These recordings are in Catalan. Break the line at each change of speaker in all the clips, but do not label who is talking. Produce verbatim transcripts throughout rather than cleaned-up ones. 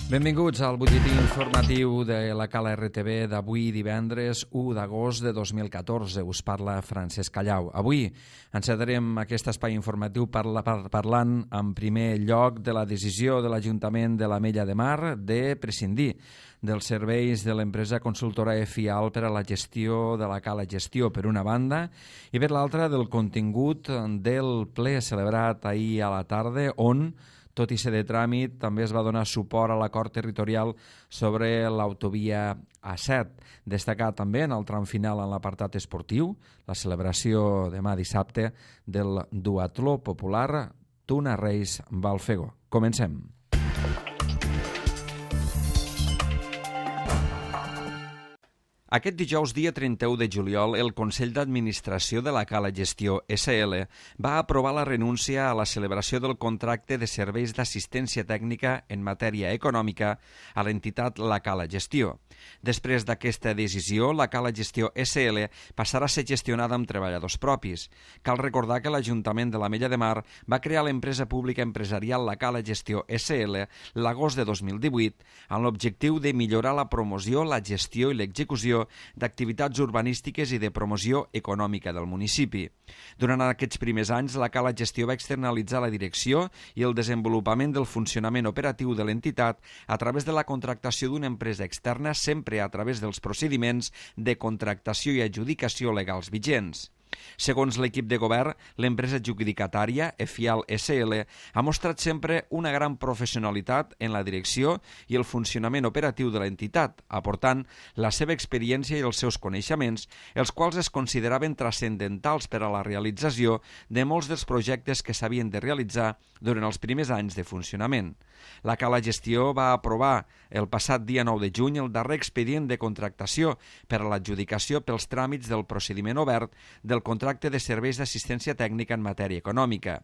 Benvinguts al butlletí informatiu de la Cala R T V d'avui divendres u d'agost de dos mil catorze. Us parla Francesc Callau. Avui encetarem aquest espai informatiu parla, par, parlant en primer lloc de la decisió de l'Ajuntament de l'Ametlla de Mar de prescindir dels serveis de l'empresa consultora EFIAL per a la gestió de la Cala Gestió, per una banda, i per l'altra del contingut del ple celebrat ahir a la tarda, on tot i ser de tràmit, també es va donar suport a l'acord territorial sobre l'autovia A set. Destacar també en el tram final en l'apartat esportiu la celebració demà dissabte del duatló popular Tuna Reis Valfego. Comencem. Aquest dijous, dia trenta-u de juliol, el Consell d'Administració de la Cala Gestió S L va aprovar la renúncia a la celebració del contracte de serveis d'assistència tècnica en matèria econòmica a l'entitat La Cala Gestió. Després d'aquesta decisió, la Cala Gestió S L passarà a ser gestionada amb treballadors propis. Cal recordar que l'Ajuntament de l'Ametlla de Mar va crear l'empresa pública empresarial La Cala Gestió S L l'agost de dos mil divuit amb l'objectiu de millorar la promoció, la gestió i l'execució d'activitats urbanístiques i de promoció econòmica del municipi. Durant aquests primers anys, la Cala Gestió va externalitzar la direcció i el desenvolupament del funcionament operatiu de l'entitat a través de la contractació d'una empresa externa, sempre a través dels procediments de contractació i adjudicació legals vigents. Segons l'equip de govern, l'empresa adjudicatària, EFIAL S L, ha mostrat sempre una gran professionalitat en la direcció i el funcionament operatiu de l'entitat, aportant la seva experiència i els seus coneixements, els quals es consideraven transcendentals per a la realització de molts dels projectes que s'havien de realitzar durant els primers anys de funcionament. La Cala Gestió va aprovar el passat dia nou de juny el darrer expedient de contractació per a l'adjudicació pels tràmits del procediment obert del contracte de serveis d'assistència tècnica en matèria econòmica.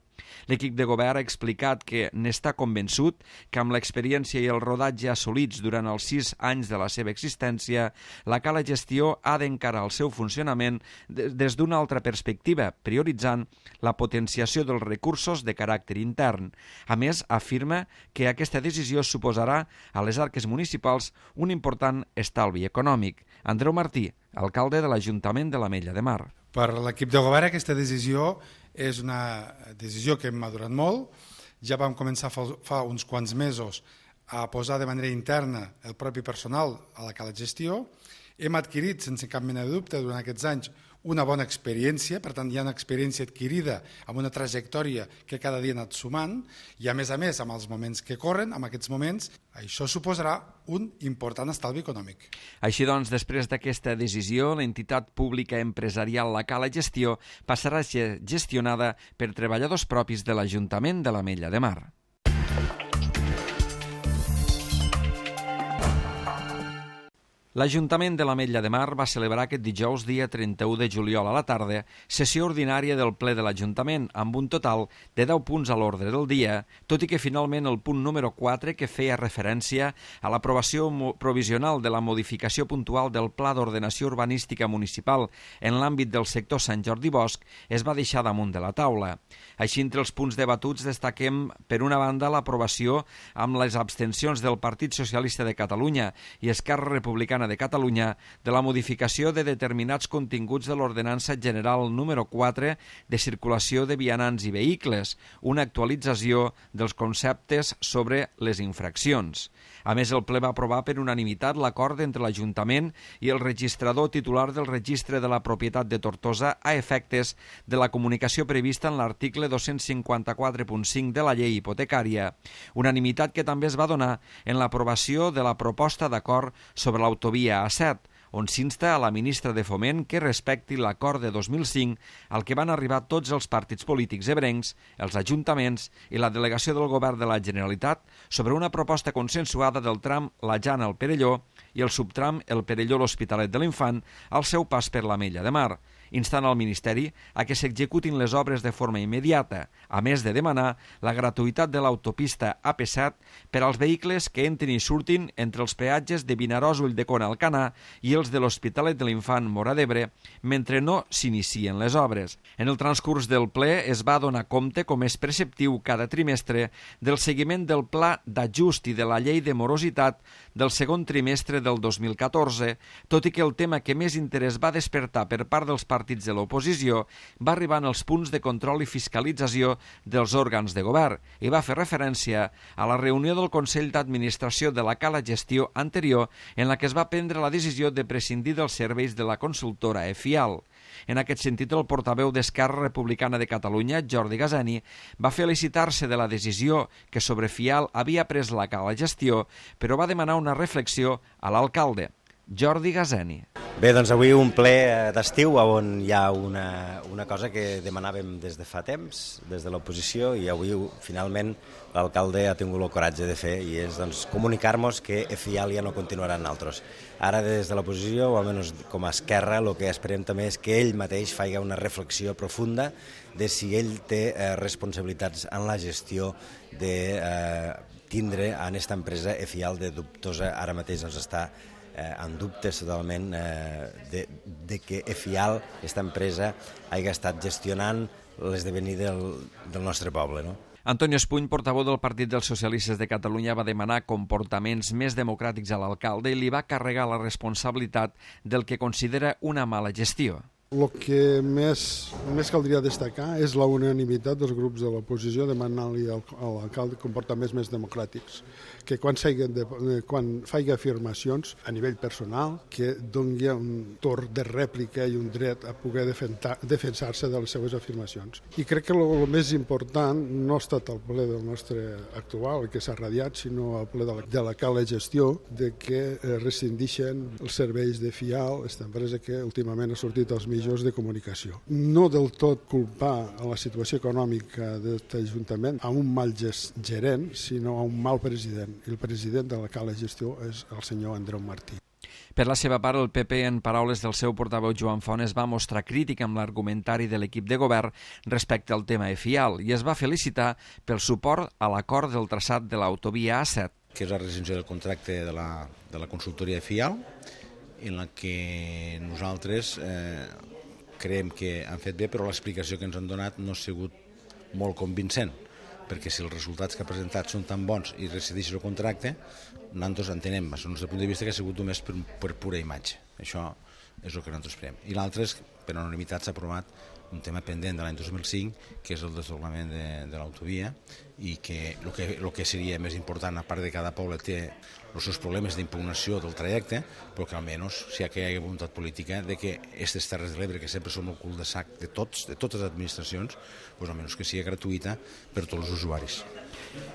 L'equip de govern ha explicat que n'està convençut que amb l'experiència i el rodatge assolits durant els sis anys de la seva existència, la Cala Gestió ha d'encarar el seu funcionament des d'una altra perspectiva, prioritzant la potenciació dels recursos de caràcter intern. A més, afirma que aquesta decisió suposarà a les arques municipals un important estalvi econòmic. Andreu Martí, alcalde de l'Ajuntament de l'Ametlla de Mar.
Per l'equip de govern aquesta decisió és una decisió que hem madurat molt. Ja vam començar fa, fa uns quants mesos a posar de manera interna el propi personal a la Cala Gestió. Hem adquirit, sense cap mena de dubte, durant aquests anys una bona experiència, per tant hi ha una experiència adquirida amb una trajectòria que cada dia ha anat sumant i a més a més amb els moments que corren, amb aquests moments, això suposarà un important estalvi econòmic.
Així doncs, després d'aquesta decisió, l'entitat pública empresarial La Cala Gestió passarà a ser gestionada per treballadors propis de l'Ajuntament de l'Ametlla de Mar. L'Ajuntament de l'Ametlla de Mar va celebrar aquest dijous, dia trenta-u de juliol a la tarda, sessió ordinària del ple de l'Ajuntament, amb un total de deu punts a l'ordre del dia, tot i que finalment el punt número quatre, que feia referència a l'aprovació provisional de la modificació puntual del Pla d'Ordenació Urbanística Municipal en l'àmbit del sector Sant Jordi Bosc, es va deixar damunt de la taula. Així, entre els punts debatuts destaquem, per una banda, l'aprovació amb les abstencions del Partit Socialista de Catalunya i Esquerra Republicana de Catalunya de la modificació de determinats continguts de l'Ordenança General número quatre de circulació de vianants i vehicles, una actualització dels conceptes sobre les infraccions. A més, el ple va aprovar per unanimitat l'acord entre l'Ajuntament i el registrador titular del Registre de la Propietat de Tortosa a efectes de la comunicació prevista en l'article dos-cents cinquanta-quatre punt cinc de la llei hipotecària, unanimitat que també es va donar en l'aprovació de la proposta d'acord sobre l'autovia A set, on s'insta a la ministra de Foment que respecti l'acord de dos mil cinc al que van arribar tots els partits polítics ebrencs, els ajuntaments i la delegació del Govern de la Generalitat sobre una proposta consensuada del tram La Jana al Perelló i el subtram El Perelló l'Hospitalet de l'Infant al seu pas per l'Ametlla de Mar. instant el Ministeri a que s'executin les obres de forma immediata, a més de demanar la gratuïtat de l'autopista A P set per als vehicles que entrin i surtin entre els peatges de Vinaròs, Ulldecona, Alcanar i els de l'Hospitalet de l'Infant, Móra d'Ebre, mentre no s'inicien les obres. En el transcurs del ple es va donar compte, com és preceptiu cada trimestre, del seguiment del pla d'ajust i de la llei de morositat del segon trimestre del dos mil catorze, tot i que el tema que més interès va despertar per part dels partits de l'oposició va arribar en els punts de control i fiscalització dels òrgans de govern i va fer referència a la reunió del Consell d'Administració de la Cala Gestió anterior en la que es va prendre la decisió de prescindir dels serveis de la consultora EFIAL. En aquest sentit, el portaveu d'Esquerra Republicana de Catalunya, Jordi Gazani, va felicitar-se de la decisió que sobre FIAL havia pres la Cala Gestió, però va demanar una reflexió a l'alcalde. Jordi Gazani.
Bé, doncs avui un ple d'estiu on hi ha una, una cosa que demanàvem des de fa temps, des de l'oposició, i avui finalment l'alcalde ha tingut el coratge de fer, i és doncs, comunicar-nos que EFIAL ja no continuarà en altres. Ara des de l'oposició, o almenys com a Esquerra, el que esperem també és que ell mateix faci una reflexió profunda de si ell té eh, responsabilitats en la gestió de eh, tindre en aquesta empresa EFIAL de dubtosa, ara mateix ens està Eh, en dubtes totalment eh, de, de que EFIAL, aquesta empresa, hagi estat gestionant l'esdevenir del, del nostre poble, no?
Antonio Espuny, portaveu del Partit dels Socialistes de Catalunya, va demanar comportaments més democràtics a l'alcalde i li va carregar la responsabilitat del que considera una mala gestió.
El que més, més caldria destacar és la unanimitat dels grups de l'oposició demanant-li a l'alcalde comportaments més democràtics, que quan, de, quan faci afirmacions a nivell personal, que doni un torn de rèplica i un dret a poder defensar-se de les seves afirmacions. I crec que el més important no ha estat el ple del nostre actual, el que s'ha radiat, sinó el ple de la, de la Cala Gestió, de que rescindixen els serveis de FIAL, aquesta empresa que últimament ha sortit als mitjans de comunicació. No del tot culpar a la situació econòmica d'aquest Ajuntament a un mal gerent, sinó a un mal president. I el president de la Cala Gestió és el senyor Andreu Martí.
Per la seva part, el P P, en paraules del seu portaveu Joan Font, es va mostrar crític amb l'argumentari de l'equip de govern respecte al tema EFIAL i es va felicitar pel suport a l'acord del traçat de l'autovia A set.
Que és la rescissió del contracte de la, de la consultoria EFIAL, en la que nosaltres eh, creiem que han fet bé, però l'explicació que ens han donat no ha sigut molt convincent, perquè si els resultats que ha presentat són tan bons i rescindeixen el contracte, nosaltres entenem, des del nostre punt de vista, que ha sigut només per, per pura imatge. Això és el que nosaltres esperem. I l'altre és que per unanimitat s'ha aprovat un tema pendent de l'any dos mil cinc, que és el desdoblament de, de l'autovia, i que el que, el que seria més important, a part de cada poble té els seus problemes d'impugnació del trajecte, però que almenys si hi ha voluntat política de que aquestes Terres de l'Ebre, que sempre són el cul de sac de tots, de totes les administracions, doncs almenys que sigui gratuïta per tots els usuaris.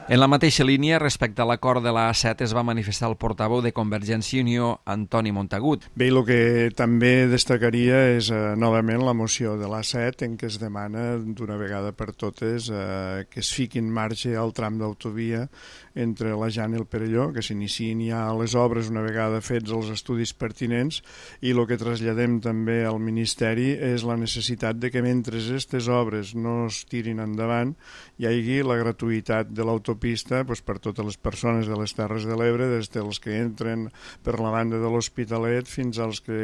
En la mateixa línia, respecte a l'acord de la A set, es va manifestar el portaveu de Convergència i Unió, Antoni Montagut.
Bé, el que també destacaria és eh, novament la moció de l'A set en què es demana d'una vegada per totes eh, que es fiqui en marxa el tram d'autovia entre la Jana i el Perelló, que s'iniciïn ja les obres una vegada fets els estudis pertinents, i el que traslladem també al Ministeri és la necessitat de que mentre aquestes obres no es tirin endavant hi hagi la gratuïtat de l'autopista doncs, per totes les persones de les Terres de l'Ebre, des dels que entren per la banda de l'Hospitalet fins als que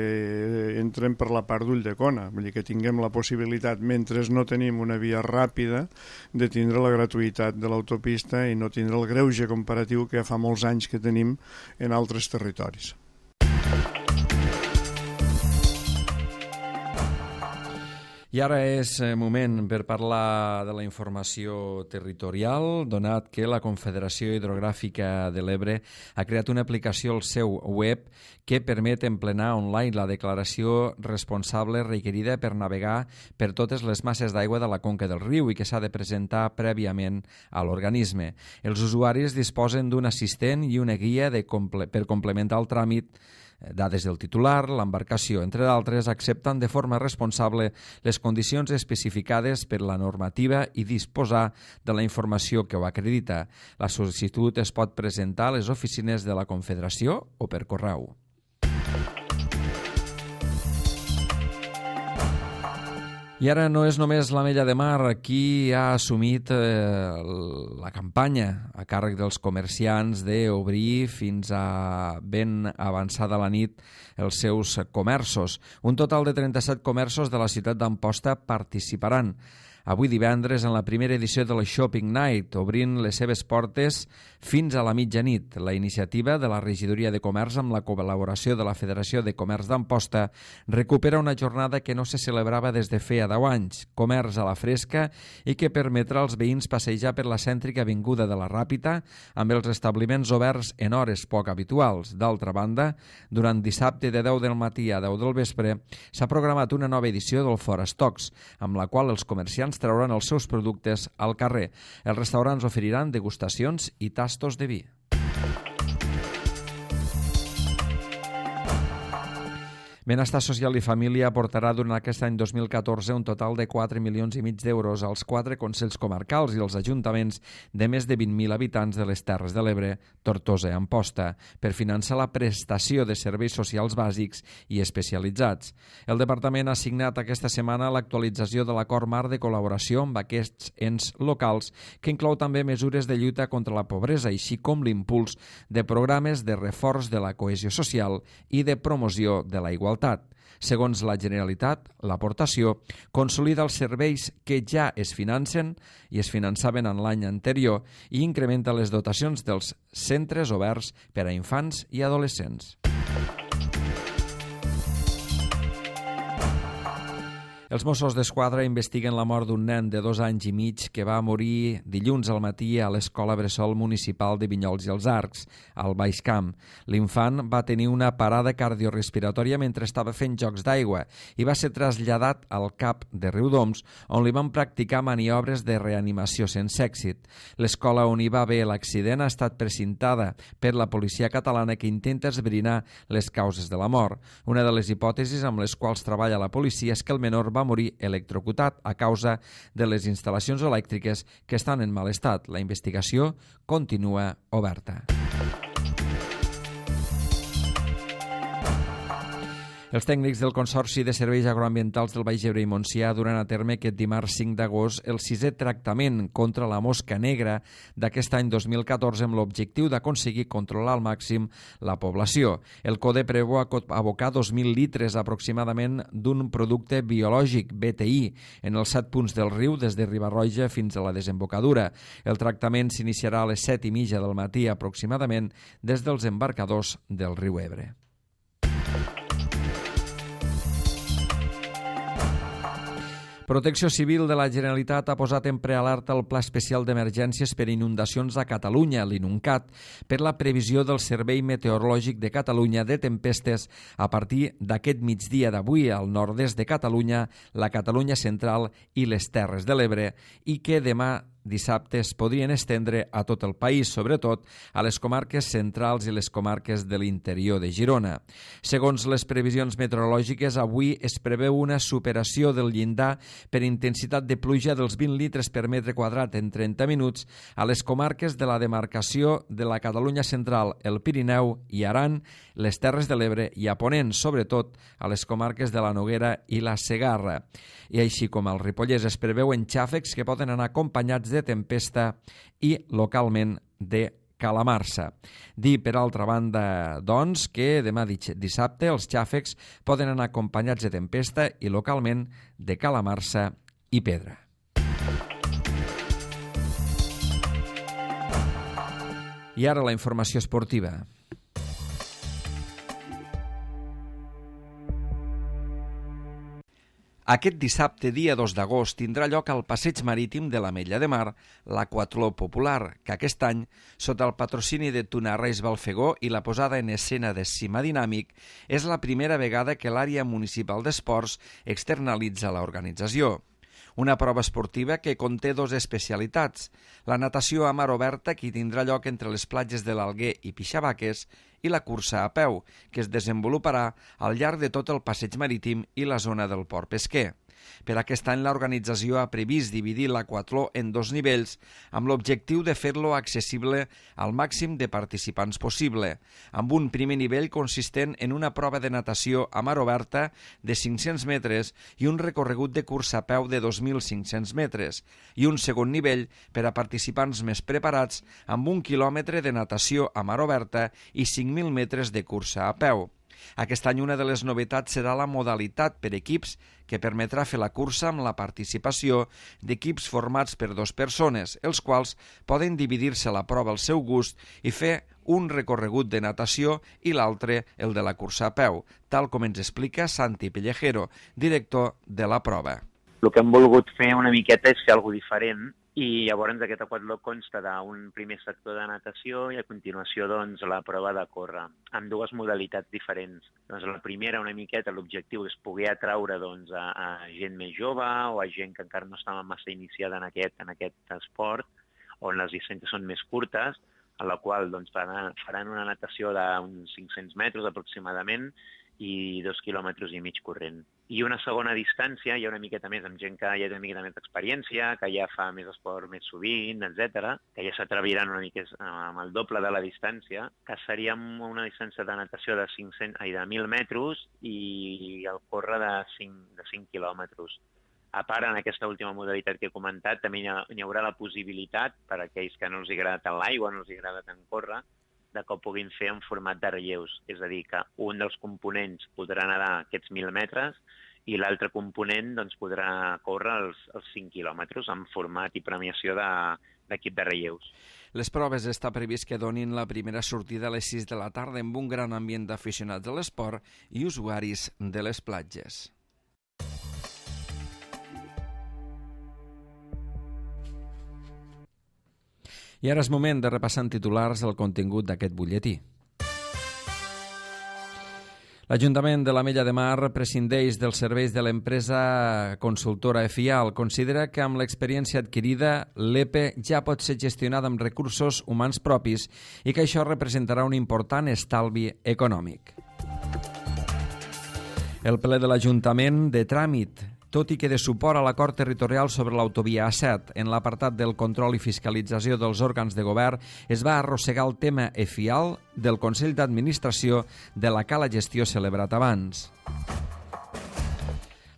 entren per la part d'Ulldecona. Vull dir que tinguem la possibilitat, mentre no tenim una via ràpida, de tindre la gratuïtat de l'autopista i no tindre el greuge comparatiu que fa molts anys que tenim en altres territoris.
I ara és moment per parlar de la informació territorial, donat que la Confederació Hidrogràfica de l'Ebre ha creat una aplicació al seu web que permet emplenar online la declaració responsable requerida per navegar per totes les masses d'aigua de la conca del riu i que s'ha de presentar prèviament a l'organisme. Els usuaris disposen d'un assistent i una guia de comple- per complementar el tràmit. Dades del titular, l'embarcació, entre d'altres, accepten de forma responsable les condicions especificades per la normativa i disposar de la informació que ho acredita. La sol·licitud es pot presentar a les oficines de la Confederació o per correu. I ara no és només l'Ametlla de Mar qui ha assumit eh, la campanya a càrrec dels comerciants d'obrir fins a ben avançada la nit els seus comerços. Un total de trenta-set comerços de la ciutat d'Amposta participaran avui divendres en la primera edició de la Shopping Night, obrint les seves portes fins a la mitjanit. La iniciativa de la Regidoria de Comerç amb la col·laboració de la Federació de Comerç d'Amposta recupera una jornada que no se celebrava des de feia deu anys, comerç a la fresca i que permetrà als veïns passejar per la cèntrica avinguda de la Ràpita amb els establiments oberts en hores poc habituals. D'altra banda, durant dissabte de deu del matí a deu del vespre s'ha programat una nova edició del Fora Stocks, amb la qual els comerciants trauran els seus productes al carrer. Els restaurants oferiran degustacions i tastos de vi. Benestar Social i Família aportarà durant aquest any dos mil catorze un total de quatre milions i mig d'euros als quatre consells comarcals i als ajuntaments de més de vint mil habitants de les Terres de l'Ebre, Tortosa i Amposta per finançar la prestació de serveis socials bàsics i especialitzats. El Departament ha signat aquesta setmana l'actualització de l'acord marc de col·laboració amb aquests ens locals que inclou també mesures de lluita contra la pobresa, així com l'impuls de programes de reforç de la cohesió social i de promoció de la igualtat. Segons la Generalitat, l'aportació consolida els serveis que ja es financen i es finançaven en l'any anterior i incrementa les dotacions dels centres oberts per a infants i adolescents. Els Mossos d'Esquadra investiguen la mort d'un nen de dos anys i mig que va morir dilluns al matí a l'Escola Bressol Municipal de Vinyols i els Arcs, al Baix Camp. L'infant va tenir una parada cardiorespiratòria mentre estava fent jocs d'aigua i va ser traslladat al C A P de Riudoms, on li van practicar maniobres de reanimació sense èxit. L'escola on hi va haver l'accident ha estat precintada per la policia catalana que intenta esbrinar les causes de la mort. Una de les hipòtesis amb les quals treballa la policia és que el menor va morir electrocutat a causa de les instal·lacions elèctriques que estan en mal estat. La investigació continua oberta. Els tècnics del Consorci de Serveis Agroambientals del Baix Ebre i Montsià duran a terme aquest dimarts cinc d'agost el sisè tractament contra la mosca negra d'aquest any dos mil catorze amb l'objectiu d'aconseguir controlar al màxim la població. El CODE preveu abocar dos mil litres aproximadament d'un producte biològic, B T I, en els set punts del riu des de Riba-roja fins a la desembocadura. El tractament s'iniciarà a les set i mitja del matí aproximadament des dels embarcadors del riu Ebre. Protecció Civil de la Generalitat ha posat en prealerta el Pla Especial d'Emergències per Inundacions a Catalunya, l'INUNCAT, per la previsió del Servei Meteorològic de Catalunya de tempestes a partir d'aquest migdia d'avui al nord-est de Catalunya, la Catalunya central i les Terres de l'Ebre, i que demà dissabte es podrien estendre a tot el país, sobretot a les comarques centrals i les comarques de l'interior de Girona. Segons les previsions meteorològiques, avui es preveu una superació del llindar per intensitat de pluja dels vint litres per metre quadrat en trenta minuts a les comarques de la demarcació de la Catalunya central, el Pirineu i Aran, les Terres de l'Ebre i a Ponent, sobretot a les comarques de la Noguera i la Segarra. I així com al Ripollès es preveuen xàfecs que poden anar acompanyats de tempesta i localment de calamarsa. Dir, per altra banda, doncs, que demà dissabte els xàfecs poden anar acompanyats de tempesta i localment de calamarsa i pedra. I ara la informació esportiva. Aquest dissabte, dia dos d'agost, tindrà lloc al Passeig Marítim de l'Ametlla de Mar l'Aquatló Popular, que aquest any, sota el patrocini de Tunarreis Balfegó i la posada en escena de Cima Dinàmic, és la primera vegada que l'àrea municipal d'esports externalitza l'organització. Una prova esportiva que conté dues especialitats, la natació a mar oberta, que tindrà lloc entre les platges de l'Alguer i Pixabaques, i la cursa a peu, que es desenvoluparà al llarg de tot el passeig marítim i la zona del port pesquer. Per aquest any, l'organització ha previst dividir l'aquatló en dos nivells amb l'objectiu de fer-lo accessible al màxim de participants possible, amb un primer nivell consistent en una prova de natació a mar oberta de cinc-cents metres i un recorregut de cursa a peu de dos mil cinc-cents metres, i un segon nivell per a participants més preparats amb un quilòmetre de natació a mar oberta i cinc mil metres de cursa a peu. Aquest any una de les novetats serà la modalitat per equips que permetrà fer la cursa amb la participació d'equips formats per dues persones, els quals poden dividir-se la prova al seu gust i fer un recorregut de natació i l'altre el de la cursa a peu, tal com ens explica Santi Pellejero, director de la prova.
El que hem volgut fer una miqueta és fer alguna cosa diferent, i llavors aquest aquatló consta d'un primer sector de natació i a continuació doncs, la prova de córrer, amb dues modalitats diferents. Doncs la primera, una miqueta, l'objectiu és poder atraure doncs, a, a gent més jove o a gent que encara no estava massa iniciada en aquest, en aquest esport, on les distàncies són més curtes, a la qual doncs, faran, faran una natació d'uns cinc-cents metres aproximadament i dos quilòmetres i mig corrent. I una segona distància, hi ha una miqueta més amb gent que ja té una miqueta més d'experiència, que ja fa més esport més sovint, etcètera, que ja s'atreviran una mica amb el doble de la distància, que seria una distància de natació de, cinc-cents, ai, de mil metres i el córrer de cinc, de cinc quilòmetres. A part, en aquesta última modalitat que he comentat, també hi, ha, hi haurà la possibilitat, per a aquells que no els agrada tant l'aigua, no els agrada tant córrer, de que ho puguin fer en format de relleus. És a dir, que un dels components podrà nedar aquests mil metres i l'altre component doncs, podrà córrer els, els cinc quilòmetres en format i premiació de, d'equip de relleus.
Les proves està previst que donin la primera sortida a les sis de la tarda amb un gran ambient d'aficionats de l'esport i usuaris de les platges. I ara és moment de repassar en titulars el contingut d'aquest butlletí. L'Ajuntament de l'Ametlla de Mar prescindeix dels serveis de l'empresa consultora Efial. Considera que amb l'experiència adquirida l'E P E ja pot ser gestionada amb recursos humans propis i que això representarà un important estalvi econòmic. El ple de l'Ajuntament de tràmit, tot i que de suport a l'acord territorial sobre l'autovia A set, en l'apartat del control i fiscalització dels òrgans de govern, es va arrossegar el tema Efial del Consell d'Administració de la Cala Gestió celebrat abans.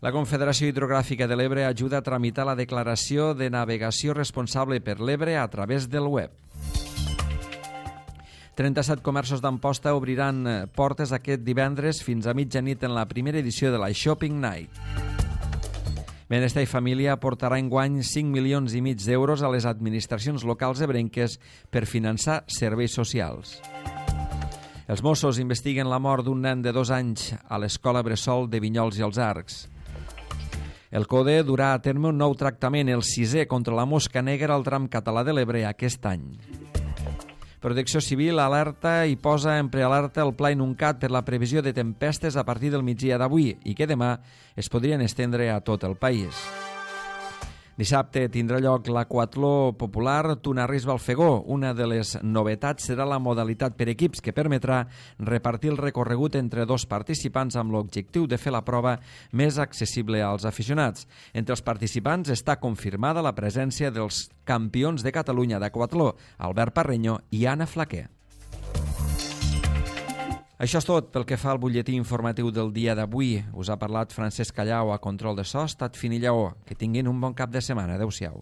La Confederació Hidrogràfica de l'Ebre ajuda a tramitar la declaració de navegació responsable per l'Ebre a través del web. trenta-set comerços d'Amposta obriran portes aquest divendres fins a mitjanit en la primera edició de la Shopping Night. Benestar i Família aportarà enguany cinc milions i mig d'euros a les administracions locals ebrenques per finançar serveis socials. Els Mossos investiguen la mort d'un nen de dos anys a l'escola Bressol de Vinyols i els Arcs. El CODE durà a terme un nou tractament, el sisè contra la mosca negra al tram català de l'Ebre aquest any. Protecció Civil alerta i posa en prealerta el Pla Inuncat per la previsió de tempestes a partir del migdia d'avui i que demà es podrien estendre a tot el país. Dissabte tindrà lloc l'aquatló popular Tunarris-Balfegó. Una de les novetats serà la modalitat per equips que permetrà repartir el recorregut entre dos participants amb l'objectiu de fer la prova més accessible als aficionats. Entre els participants està confirmada la presència dels campions de Catalunya d'aquatló, Albert Parreño i Anna Flaquer. Això és tot pel que fa al butlletí informatiu del dia d'avui. Us ha parlat Francesc Callau a control de so, Estat Fin i Lleó. Que tinguin un bon cap de setmana. Adéu-siau.